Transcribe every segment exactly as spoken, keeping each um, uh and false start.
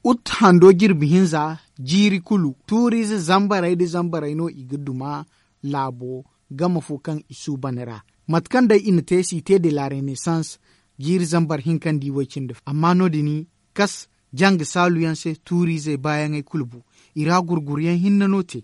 Ut hando jirbi hinza, jiiri kulu tuuriize zambarey nda zambarey no i ga duma laabo game fo kaŋ i suuban ra. Mate kaŋ day i na te site de la renaissance, jiiri zambar hinka nda i way cindi fo amma no- din kas janga saalu yaŋ se tuuriizey baayaŋey kulu bu. I ra gurguryaŋ hinne no te.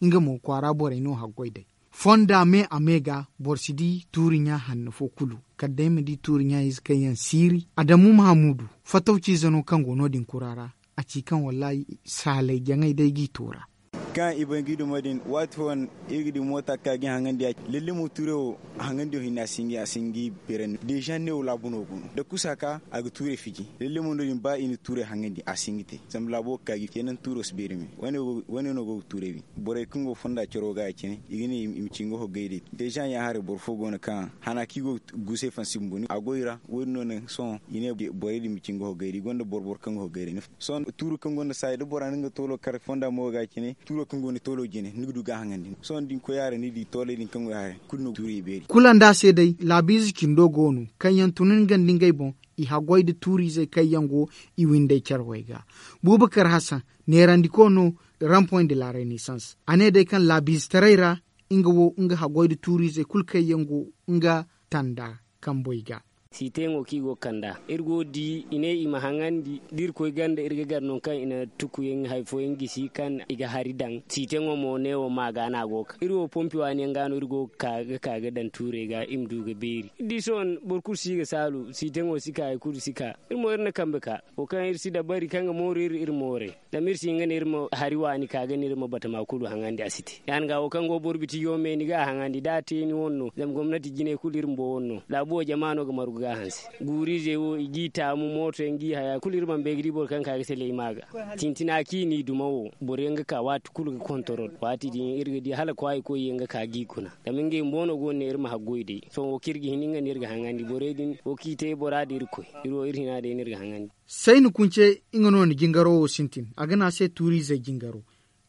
Nga mo kwaara borey no haggoy day fonda me a me ga boro si di tuuri ɲa hanno fo kulu. Kala day ma di tuuri ɲa ize kaŋ yaŋ siiri adamu mahamuudu fatawciize no kaŋ go no- din kura ra. A ci kaŋ wallaahi saalay jaŋay day g'i toora. Kaŋ i bay ga i duma din waati fooyaŋ iri ga di moota ga ka ga i haŋandi ya. Lalle mo tuurey wo haŋandiyo hinne a si hin ga i beerandi deeza ne wo laabu no go no da kusa ka a ga tuurey fiji. Lalle mo no- din ba i na tuurey haŋandi a si hin ga te. Zama laabo ga ka ga i ceena tuuro si beeri me. Wane no go ga tuurey bi borey kaŋ go fonda caro ga ya- cine i ga ne i ma ci nga hoggay day. Deeza ɲa haray boro fo go no kaŋ hana kaŋ i go ga guusay fansi bumbo a go i ra. Wo- din no naŋ sohõ i ne borey din ma ci nga hoggay day i gonda boro boro kaŋ ga hoggay day. Sohõ tuuro kaŋ gonda saayi da bora na nga toolo kar fonda mo ga cine tuuro kaŋ gonda toolo jine ni ga du ga a haŋandi sohõ da ni koy a ra ni di tooley din kaŋ go i haray kulu no ga tuurey beeri. Kulu nda a se day laabiize cindo go no kaŋ yaŋ tun nga nda ngey boŋ. I haggoy nda tuuriizey kaŋ yaŋ go i windey care way ga. Buubakar hasan neerandiko no. Rampoy nda la renaissance a ne day kaŋ laabiizetaray ra nga wo nga haggoy nda tuuriizey kulu kaŋ yaŋ go nga tanda kamboy ga. Siiteyaŋo kaŋ i go ga kand'a iri go ga di i ne i ma haŋandi da iri koy ganda iri ga gar nangu kaŋ i na tukuyaŋ hari fooyaŋ gisi kaŋ i ga hari daŋ. Siiteyaŋo mo neewo ma ga no a go ga ka iri wo pompi waani yaŋ ga no iri go ga ka ga ka ga daŋ tuurey ga i ma du ga beeri iri di sohõ boro kulu si ga saalu siiteyaŋo si ka hari kulu si ka. Iri mo iri na kambe ka wo kaŋ iri si dabari kaŋ ga mooru iri iri moorey. Zama iri si hin ga ne iri ma hari waani ka ga ne iri ma batama kulu haŋandi a si te ya- din ga wo kaŋ go boro biti yo me ni ga a haŋandi da a te ni wane no zama gomnati jinay kulu iri bumbo wane no laabu wo jama no ga margu ga a hanse. Guuriizey wo i g'i taamu mooto yaŋ g'i haya kulu iri mana bay ga di boro kaŋ ka ga sele i ma ga. Tintina kaŋ i n'i duma wo boro yaŋ ga ka waati kulu ga kontorol waati din iri ga di hala kwaayi koy yaŋ ga ka g'i kuna. Zama ngey bumbo no go no ne iri ma haggoy day sohõ wo kaŋ iri ga hin nga no iri ga haŋandi borey din wo kaŋ i te bora da iri koy. Iri wo iri hina day no iri ga haŋandi. Sayni kunce nga no na jingaro wo sintin a ga ne a se tuuriizey jingaro.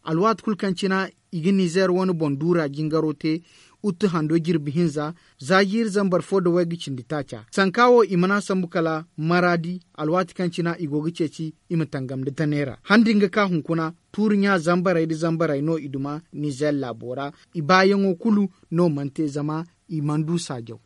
Alwaati kulu kaŋ cina i ga nizeer wane boŋ duura jingaro te. Utu hando jirbi hinza za jiiri zambar fo nda wayga cindi taaca sanka wo i mana sambu kala maraadi. Alwaati kaŋ cina i go ga ceeci i ma tangam nda tanay ra han din ga ka hunkuna tuuri ɲa zambarey nda zambarey no i duma nizeer laabo ra. I baayaŋo kulu no mana te zama i mana du saajaw.